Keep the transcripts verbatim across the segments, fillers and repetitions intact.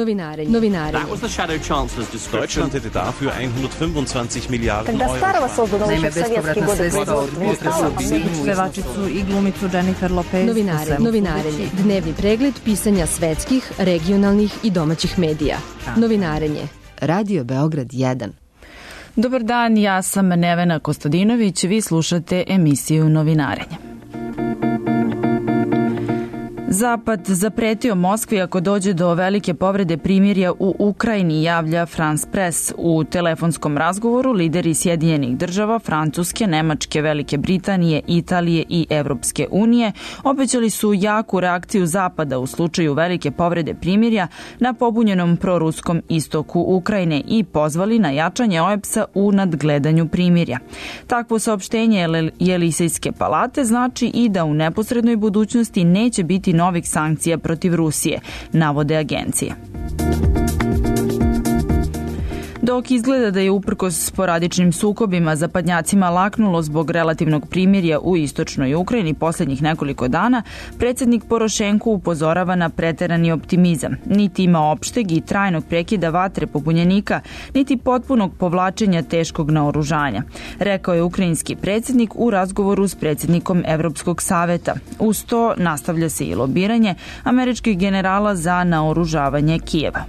Novinarenje. Novinarenje. That was the shadow chancellor's description. Deutschland hätte dafür hundertfünfundzwanzig Milliarden Когда старого Euro. создано еще в советские годы производства. Pevačicu i glumicu Jennifer Lopez. Novinarenje. Novinarenje. Dnevni pregled pisanja svetskih, regionalnih i domaćih medija. Novinarenje. Radio Beograd jedan. Dobar dan, ja sam Nevena Kostadinović, vi slušate emisiju Novinarenje. Zapad zapretio Moskvi ako dođe do velike povrede primirja u Ukrajini, javlja France Press. U telefonskom razgovoru lideri Sjedinjenih država, Francuske, Nemačke, Velike Britanije, Italije i Evropske unije obećali su jaku reakciju Zapada u slučaju velike povrede primirja na pobunjenom proruskom istoku Ukrajine i pozvali na jačanje O E B S-a u nadgledanju primirja. Takvo saopštenje Jelisejske palate znači i da u neposrednoj budućnosti neće biti novih sankcija protiv Rusije, navode agencije. Dok izgleda da je uprkos sporadičnim sukobima zapadnjacima laknulo zbog relativnog primirja u istočnoj Ukrajini posljednjih nekoliko dana, predsjednik Porošenko upozorava na preterani optimizam. Niti ima opšteg i trajnog prekida vatre pobunjenika, niti potpunog povlačenja teškog naoružanja, rekao je ukrajinski predsjednik u razgovoru s predsjednikom Evropskog saveta. Uz to nastavlja se i lobiranje američkih generala za naoružavanje Kijeva.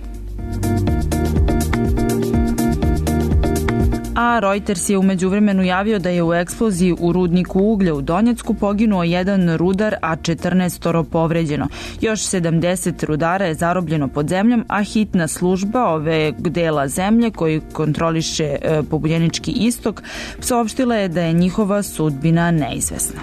A Reuters je u međuvremenu javio da je u eksploziji u rudniku uglja u Donjecku poginuo jedan rudar, a četrnaestoro povređeno. Još sedamdeset rudara je zarobljeno pod zemljom, a hitna služba ove dela zemlje koji kontroliše e, pobunjenički istok saopštila je da je njihova sudbina neizvesna.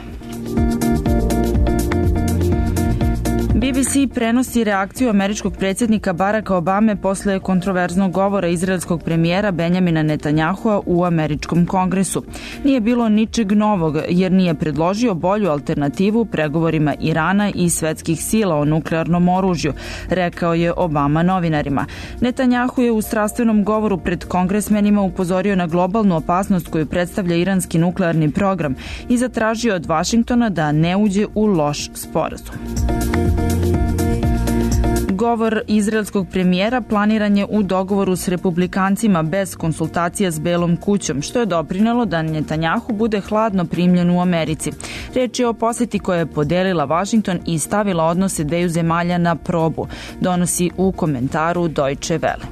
B B C prenosi reakciju američkog predsjednika Baracka Obame posle kontroverznog govora izraelskog premijera Benjamina Netanjahua u američkom kongresu. Nije bilo ničeg novog jer nije predložio bolju alternativu pregovorima Irana i svetskih sila o nuklearnom oružju, rekao je Obama novinarima. Netanjahu je u strastvenom govoru pred kongresmenima upozorio na globalnu opasnost koju predstavlja iranski nuklearni program i zatražio od Vašingtona da ne uđe u loš sporazum. Govor izraelskog premijera planiran je u dogovoru s republikancima bez konsultacija s Belom kućom, što je doprinelo da Netanjahu bude hladno primljen u Americi. Riječ je o posjeti koja je podelila Washington i stavila odnose dveju zemalja na probu, donosi u komentaru Deutsche Welle.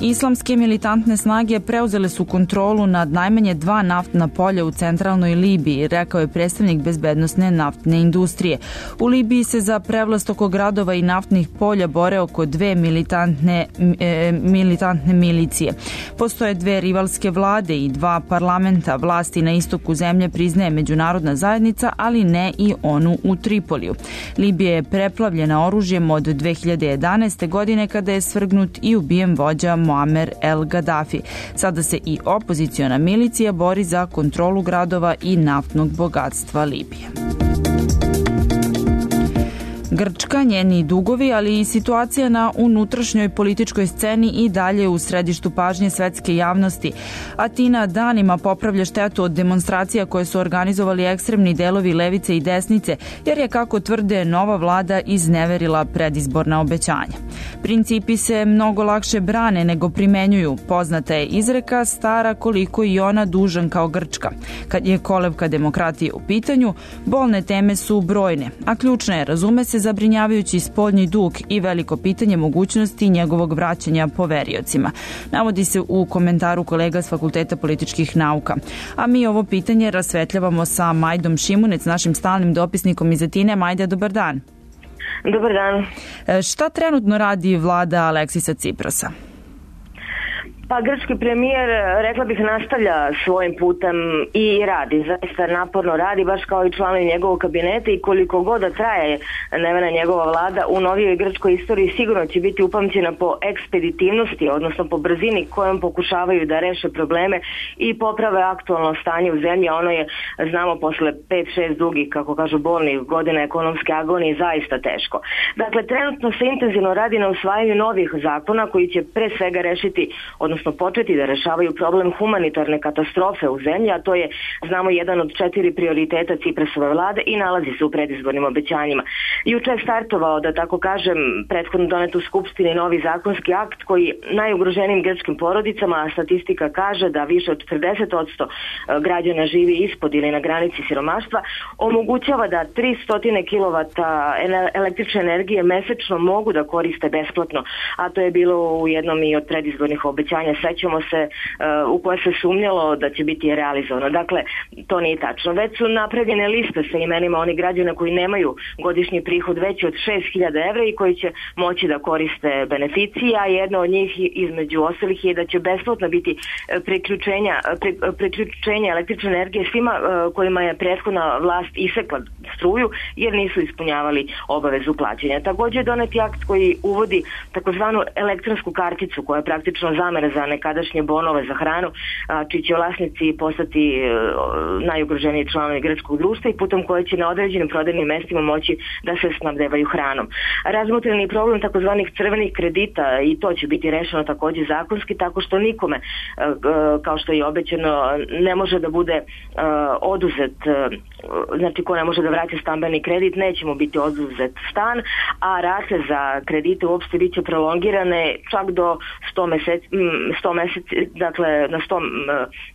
Islamske militantne snage preuzele su kontrolu nad najmanje dva naftna polja u centralnoj Libiji, rekao je predstavnik bezbednosne naftne industrije. U Libiji se za prevlast oko gradova i naftnih polja bore oko dve militantne, e, militantne milicije. Postoje dve rivalske vlade i dva parlamenta. Vlasti na istoku zemlje priznaje međunarodna zajednica, ali ne i onu u Tripoliju. Libija je preplavljena oružjem od dve hiljade jedanaeste. godine kada je svrgnut i ubijen vođa Muamer el Gaddafi. Sada se i opoziciona milicija bori za kontrolu gradova i naftnog bogatstva Libije. Grčka, njeni dugovi, ali i situacija na unutrašnjoj političkoj sceni i dalje u središtu pažnje svetske javnosti. Atina danima popravlja štetu od demonstracija koje su organizovali ekstremni delovi levice i desnice, jer je, kako tvrde, nova vlada izneverila predizborna obećanja. Principi se mnogo lakše brane nego primenjuju. Poznata je izreka stara koliko i ona dužan kao Grčka. Kad je kolevka demokratije u pitanju, bolne teme su brojne, a ključna je, razume se, zabrinjavajući spoljni dug i veliko pitanje mogućnosti njegovog vraćanja poveriocima. Navodi se u komentaru kolega s Fakulteta političkih nauka. A mi ovo pitanje rasvetljavamo sa Majdom Šimunec, našim stalnim dopisnikom iz Atine. Majda, dobar dan. Dobar dan. Šta trenutno radi vlada Aleksisa Ciprasa? Pa grčki premijer, rekla bih, nastavlja svojim putem i radi, zaista naporno radi, baš kao i članovi njegovog kabineta, i koliko god da traje Nevena njegova vlada u novijoj grčkoj istoriji sigurno će biti upamćena po ekspeditivnosti, odnosno po brzini kojom pokušavaju da reše probleme i poprave aktualno stanje u zemlji, a ono je, znamo, posle pet šest dugih, kako kažu, bolnih godina ekonomske agonije zaista teško. Dakle, trenutno se intenzivno radi na usvajanju novih zakona koji će pre svega rešiti, odnosno odnosno početi da rešavaju problem humanitarne katastrofe u zemlji, a to je, znamo, jedan od četiri prioriteta Ciprasove vlade i nalazi se u predizbornim obećanjima. Juče je startovao, da tako kažem, prethodno donet u Skupštini novi zakonski akt koji najugroženijim grčkim porodicama, a statistika kaže da više od četrdeset posto građana živi ispod ili na granici siromaštva, omogućava da tristo kilovata električne energije mesečno mogu da koriste besplatno, a to je bilo u jednom i od predizbornih obećanja, sećamo se, u koje se sumnjalo da će biti realizovano. Dakle, to nije tačno. Već su napravljene liste sa imenima onih građana koji nemaju godišnji prihod veći od šest hiljada evra i koji će moći da koriste beneficije, a jedna od njih između ostalih je da će besplatno biti priključenja, priključenja električne energije svima kojima je prethodna vlast isekla struju jer nisu ispunjavali obavezu plaćanja. Također je doneti akt koji uvodi takozvanu elektronsku karticu koja je praktično zamena za nekadašnje bonove za hranu, čiji će vlasnici postati najugroženiji članovi grčkog društva i putem koje će na određenim prodajnim mestima moći da se snabdevaju hranom. Razmotreni problem takozvanih crvenih kredita i to će biti rešeno također zakonski tako što nikome, kao što je obećano, ne može da bude oduzet, znači ko ne može da vrati stambeni kredit, neće mu biti oduzet stan, a rate za kredite uopšte bit će prolongirane čak do sto meseci, sto meseci, dakle na sto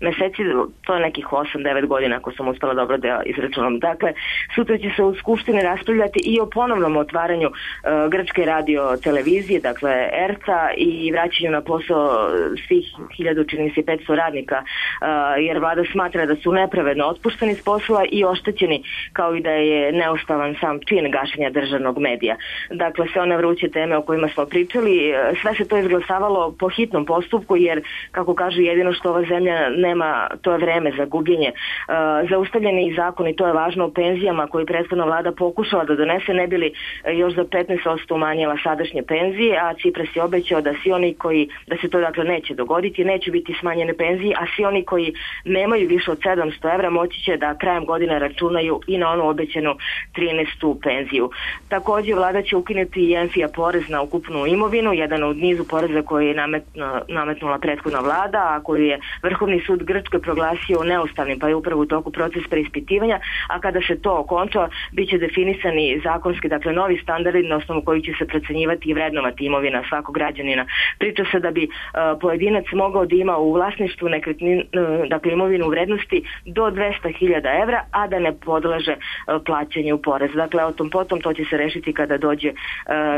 meseci, to je nekih osam devet godina ako sam uspela dobro da izračunam. Dakle, sutra će se u Skupštini raspravljati i o ponovnom otvaranju uh, grčke radio televizije, dakle er te a, i vraćanju na posao svih hiljadu čini se petsto radnika, uh, jer vlada smatra da su nepravedno otpušteni s posla i oštećeni, kao i da je neustavan sam čin gašenja državnog medija. Dakle, sve one vruće teme o kojima smo pričali, sve se to izglasavalo po hitnom postupku, jer, kako kažu, jedino što ova zemlja nema, to je vreme za gubljenje. Uh, zaustavljeni zakoni, to je važno, o penzijama koji prethodna vlada pokušala da donese, ne bili još za petnaest posto umanjila sadašnje penzije, a Cipras je obećao da svi oni koji, da se to dakle neće dogoditi, neće biti smanjene penzije, a svi oni koji nemaju više od sedamsto evra moći će da krajem godine računaju i na onu obećanu trinaestu penziju. Također vlada će ukinuti i en fi a porez na ukupnu imovinu, jedan od nizu poreza koji je nametnula, nametnula prethodna vlada, a koju je Vrhovni sud Grčke proglasio neustavnim, pa je upravo u toku proces preispitivanja, a kada se to okonča, bit će definisani zakonski, dakle novi standardi na osnovu koji će se procenjivati i vrednovati imovina svakog građanina. Priča se da bi uh, pojedinac mogao da ima u vlasništvu nekretnin, uh, dakle imovinu u vrednosti do dvesta hiljada evra, a da ne podleže uh, plaćanju poreza. Dakle, o tom potom to će se rešiti kada dođe uh,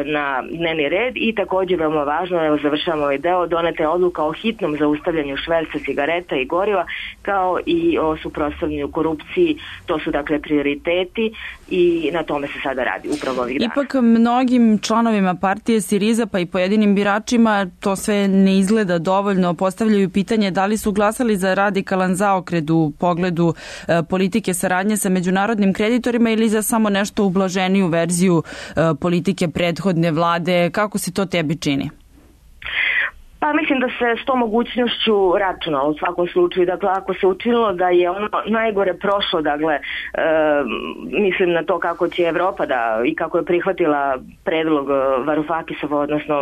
na dnevni red i također veoma važno, evo završavamo ovaj deo, doneta je odluka o hitnom zaustavljanju šverca cigareta i goriva, kao i o suprotstavljanju korupciji. To su dakle prioriteti i na tome se sada radi upravo ovih dana. Ipak mnogim članovima partije Siriza pa i pojedinim biračima to sve ne izgleda dovoljno. Postavljaju pitanje da li su glasali za radikalan zaokret u pogledu e, politike saradnje sa međunarodnim kreditorima ili za samo nešto ublaženiju verziju e, politike prethodne vlade. Kako se to tebi čini? Pa mislim da se s tom mogućnošću računalo u svakom slučaju. Dakle, ako se učinilo da je ono najgore prošlo, dakle, e, mislim na to kako će Evropa da i kako je prihvatila predlog Varoufakisova, odnosno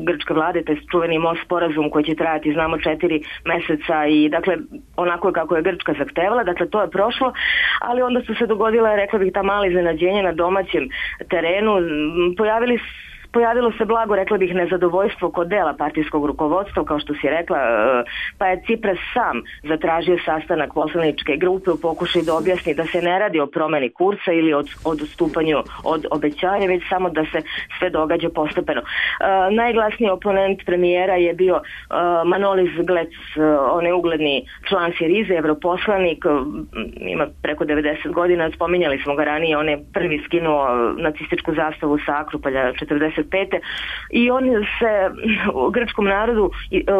grčke vlade, to je čuveni most sporazum koji će trajati, znamo, četiri meseca i dakle, onako kako je Grčka zahtevala, dakle, to je prošlo, ali onda su se dogodila, rekla bih, ta mala iznenađenja na domaćem terenu. Pojavili Pojavilo se blago, rekla bih, nezadovoljstvo kod dela partijskog rukovodstva, kao što si rekla, pa je Cipras sam zatražio sastanak poslaničke grupe u pokušaju da objasni da se ne radi o promeni kursa ili od, od odstupanju od obećanja, već samo da se sve događa postepeno. Uh, najglasniji oponent premijera je bio uh, Manolis Glec, uh, on je ugledni član Sirize, evroposlanik, uh, ima preko devedeset godina, spominjali smo ga ranije, on je prvi skinuo nacističku zastavu sa Akropolja četrdeset pete i on se u grčkom narodu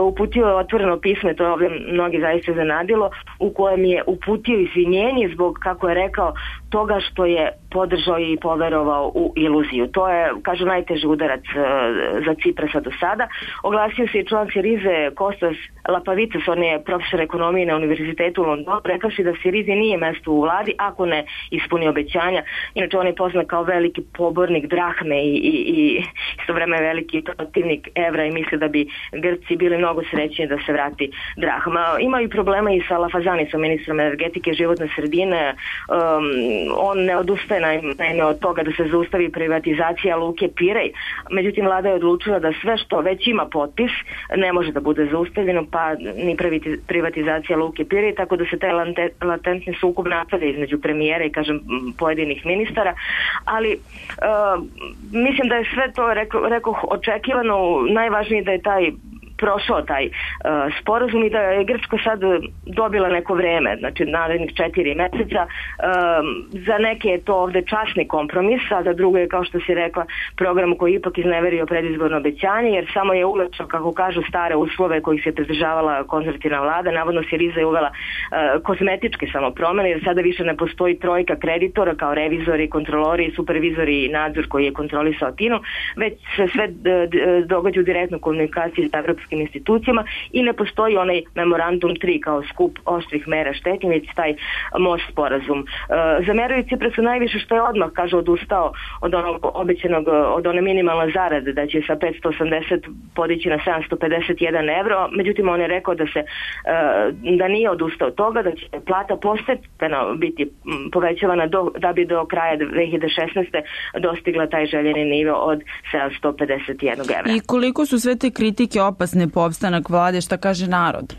uputio otvoreno pismo, to je ovdje mnogi zaista zanadilo, u kojem je uputio izvinjenje zbog, kako je rekao, toga što je podržao i poverovao u iluziju. To je, kažu, najteži udarac za Ciprasa do sada. Oglasio se i član Sirize Kostas Lapavicas, on je profesor ekonomije na Univerzitetu u Londonu, rekavši da Sirizi nije mesto u vladi ako ne ispuni obećanja. Inače, on je poznat kao veliki pobornik drahme i, i, i isto vreme veliki protivnik evra i misli da bi Grci bili mnogo srećni da se vrati drahma. Ima i problema i sa Lafazanicom, ministrom energetike i životne sredine. Um, on ne odustaje naime od toga da se zaustavi privatizacija Luke Pirej. Međutim, vlada je odlučila da sve što već ima potpis ne može da bude zaustavljeno, pa ni privatizacija Luke Pirej, tako da se taj latentni sukob nastavlja između premijera i, kažem, pojedinih ministara, ali uh, mislim da je sve to, reko, rekoh, očekivano. Najvažnije da je taj prošao taj uh, sporazum i da je Grčka sad dobila neko vreme, znači narednih četiri meseca. Um, za neke je to ovde časni kompromis, a za drugo je, kao što si rekla, program koji ipak izneverio predizborno obećanje, jer samo je uvećao, kako kažu, stare uslove kojih se pridržavala konzervativna vlada. Navodno Siriza je uvela uh, kozmetičke samo promene, jer sada više ne postoji trojka kreditora kao revizori, kontrolori, supervizori i nadzor koji je kontrolisao Atinu, već se sve događa u direktnoj komunikaciji sa evropskim institucijama i ne postoji onaj memorandum tri kao skup oštrih mera štetnje, već taj most sporazum. E, zameraju Ciprasu najviše što je odmah, kaže, odustao od onog obećanog, od one minimalne zarade, da će sa petsto osamdeset podići na sedamsto pedeset jedan evro, međutim on je rekao da se e, da nije odustao od toga, da će plata postepeno biti povećavana do, da bi do kraja dve hiljade šesnaeste dostigla taj željeni nivo od sedamsto pedeset jedan evra. I koliko su sve te kritike opasne po opstanak vlade, šta kaže narod?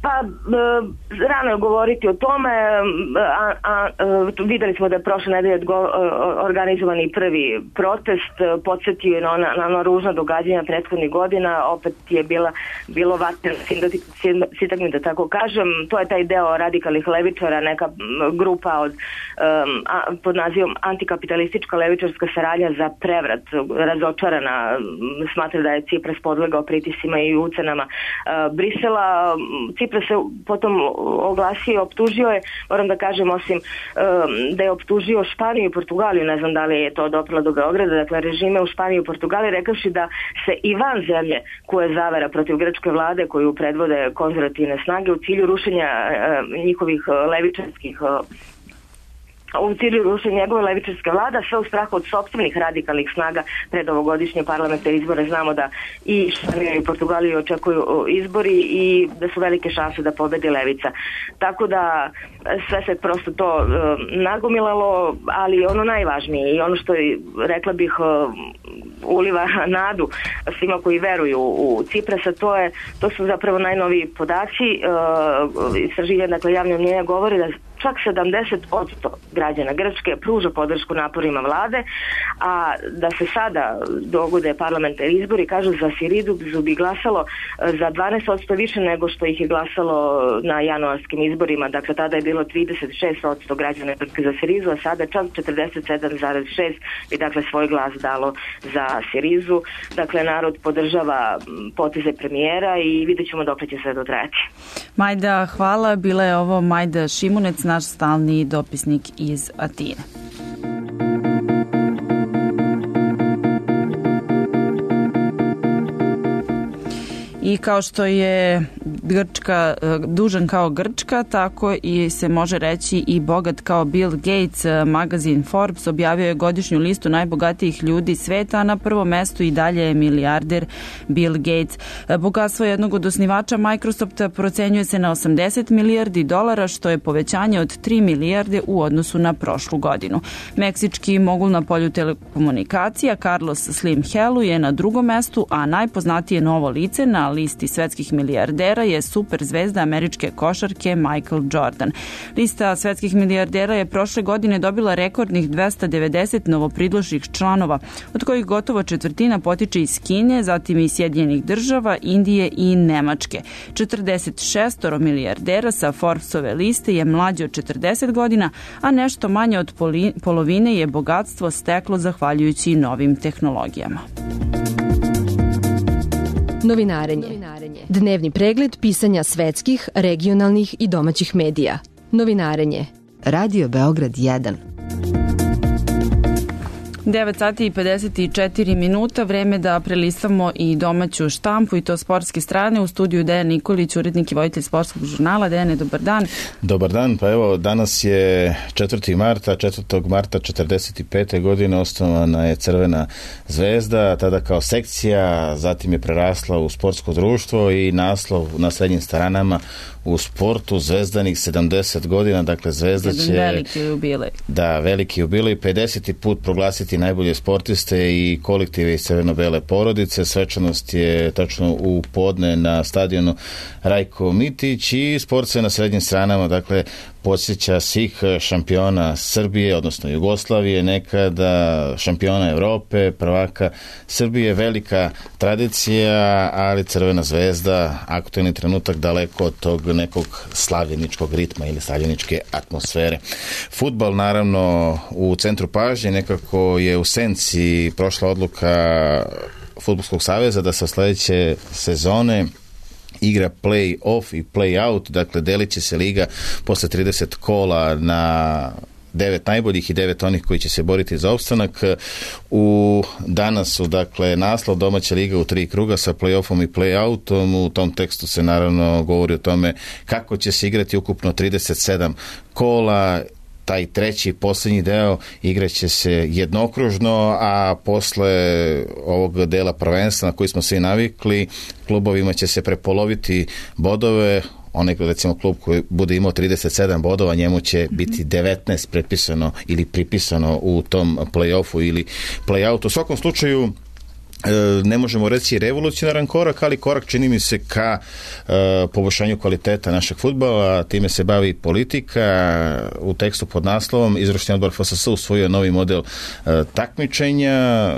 Pa, e, rano je govoriti o tome, a, a, a videli smo da je prošle nedelje organizovani prvi protest, podsjetio je na ona, na ona ružna događanja prethodnih godina, opet je bila, bilo vatreno sintagmi, da tako kažem. To je taj deo radikalnih levičara, neka grupa od, um, a, pod nazivom antikapitalistička levičarska saradnja za prevrat, razočarana, smatra da je Cipras podlegao pritiscima i ucenama uh, Brisela. Cipras se potom oglasio i optužio je, moram da kažem, osim um, da je optužio Španiju i Portugaliju, ne znam da li je to doprlo do Beograda, dakle režime u Španiji i Portugaliji, rekavši da se i van zemlje koje zavera protiv grčke vlade koju predvode konzervativne snage u cilju rušenja uh, njihovih uh, levičarskih uh, u cilju rušenja njegove levičarske vlada, sve u strahu od sopstvenih radikalnih snaga pred ovogodišnje parlamentarne izbore. Znamo da i Španija i Portugaliju očekuju izbori i da su velike šanse da pobedi levica. Tako da sve se prosto to uh, nagomilalo, ali ono najvažnije i ono što je, rekla bih, uh, uliva nadu svima koji veruju u Ciprasa, to je, to su zapravo najnoviji podaci. Uh, istraživanja, dakle, javne mnjenja govore da čak sedamdeset posto građana Grčke pruža podršku naporima vlade, a da se sada dogode parlamentarni izbori, kažu, za Siridu bi glasalo za dvanaest posto više nego što ih je glasalo na januarskim izborima. Dakle, tada je bilo trideset šest posto građana Grčke za Sirizu, a sada čak četrdeset sedam zarez šest bi, dakle, svoj glas dalo za Sirizu. Dakle, narod podržava poteze premijera i vidjet ćemo dok će sve dotrajati. Majda, hvala. Bila je ovo Majda Šimunec, naš stalni dopisnik iz Atine. I kao što je Grčka, dužan kao Grčka, tako i se može reći i bogat kao Bill Gates. Magazin Forbes objavio je godišnju listu najbogatijih ljudi sveta, a na prvom mestu i dalje je milijarder Bill Gates. Bogatstvo jednog od osnivača Microsofta procenjuje se na osamdeset milijardi dolara, što je povećanje od tri milijarde u odnosu na prošlu godinu. Meksički mogul na polju telekomunikacija Carlos Slim Helu je na drugom mestu, a najpoznatije novo lice na listi svetskih milijardera je superzvezda američke košarke Michael Jordan. Lista svetskih milijardera je prošle godine dobila rekordnih dvesta devedeset novopridloših članova, od kojih gotovo četvrtina potiče iz Kine, zatim iz Sjedinjenih država, Indije i Nemačke. četrdeset šest milijardera sa Forbesove liste je mlađe od četrdeset godina, a nešto manje od polovine je bogatstvo steklo zahvaljujući novim tehnologijama. Novinarenje. Dnevni pregled pisanja svetskih, regionalnih i domaćih medija. Novinarenje. Radio Beograd jedan. devet sati i pedeset četiri minuta, vreme da prelistamo i domaću štampu i to sportske strane. U studiju Dejan Nikolić, urednik i voditelj sportskog žurnala. Dejane, dobar dan. Dobar dan, pa evo danas je četvrti marta, četvrtog marta četrdeset pete godine osnovana je Crvena zvezda, tada kao sekcija, zatim je prerasla u sportsko društvo i naslov na srednjim stranama u sportu zvezdanih sedamdeset godina, dakle Zvezda će... veliki jubilej. Da, veliki jubilej, pedeseti put proglasiti najbolje sportiste i kolektive iz crveno-bele porodice. Svečanost je tačno u podne na stadionu Rajko Mitić i sport se na srednjim stranama, dakle, podsjeća svih šampiona Srbije, odnosno Jugoslavije, nekada šampiona Evrope, prvaka Srbije, velika tradicija, ali Crvena zvezda, aktuelni trenutak daleko od tog nekog slavljeničkog ritma ili slavljeničke atmosfere. Fudbal, naravno, u centru pažnje, nekako je u senci prošla odluka Fudbalskog saveza da se od sledeće sezone igra play-off i play-out, dakle delit će se liga posle trideset kola na devet najboljih i devet onih koji će se boriti za opstanak. U danas su, dakle, naslov domaća liga u tri kruga sa play-offom i play-outom. U tom tekstu se naravno govori o tome kako će se igrati ukupno trideset sedam kola. Taj treći, posljednji deo igraće se jednokružno, a posle ovog dela prvenstva na koji smo svi navikli, klubovima će se prepoloviti bodove. Onaj, recimo, klub koji bude imao trideset sedam bodova, njemu će biti devetnaest prepisano ili pripisano u tom play-offu ili play-outu. U svakom slučaju, ne možemo reći revolucionaran korak, ali korak, čini mi se, ka uh, poboljšanju kvaliteta našeg fudbala. Time se bavi politika. U tekstu pod naslovom izvršni odbor F S S usvojio novi model uh, takmičenja.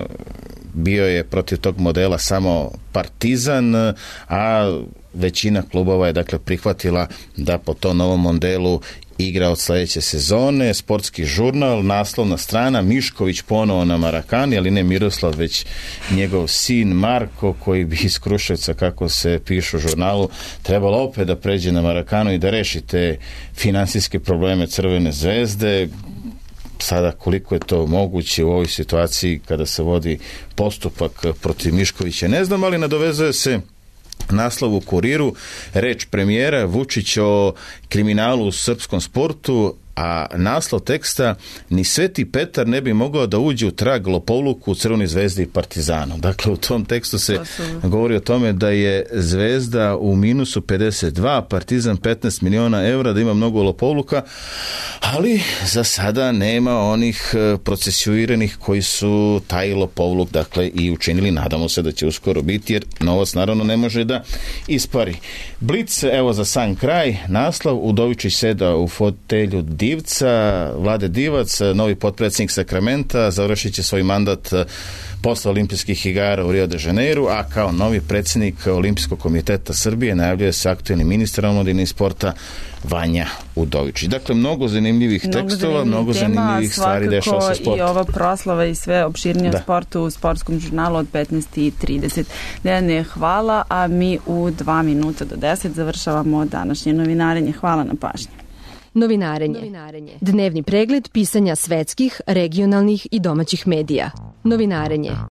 Bio je protiv tog modela samo Partizan, a većina klubova je, dakle, prihvatila da po tom novom modelu igra od sledeće sezone. Sportski žurnal, naslovna strana, Mišković ponovo na Marakani, ali ne Miroslav, već njegov sin Marko, koji bi iz Kruševca, kako se piše u žurnalu, trebalo opet da pređe na Marakanu i da reši te finansijske probleme Crvene zvezde. Sada, koliko je to moguće u ovoj situaciji kada se vodi postupak protiv Miškovića, ne znam, ali nadovezuje se naslov u Kuriru, reč premijera Vučić o kriminalu u srpskom sportu, a naslov teksta: ni Sveti Petar ne bi mogao da uđe u trag lopovluku u Crvenoj zvezdi i Partizanu. Dakle, u tom tekstu se govori o tome da je Zvezda u minusu pedeset dva, Partizan petnaest miliona evra, da ima mnogo lopovluka, ali za sada nema onih procesuiranih koji su taj lopovluk, dakle, i učinili. Nadamo se da će uskoro biti, jer novac naravno ne može da ispari. Blic, evo za sam kraj, naslov: Udovičić seda u fotelju Divca, Vlade Divac, novi potpredsjednik Sakramenta, završit će svoj mandat posle olimpijskih igara u Rio de Janeiru, a kao novi predsjednik Olimpijskog komiteta Srbije najavljuje se aktuelni ministar omladine i sporta Vanja Udovičić. Dakle, mnogo zanimljivih mnogo tekstova, zanimljivih mnogo tema, zanimljivih stvari dešava sa sportom. I ova proslava i sve opširnije o sportu u sportskom žurnalu od petnaest i trideset. Dejane, hvala, a mi u dva minuta do deset završavamo današnje novinarenje. Hvala na pažnji. Novinarenje. Novinarenje. Dnevni pregled pisanja svetskih, regionalnih i domaćih medija. Novinarenje.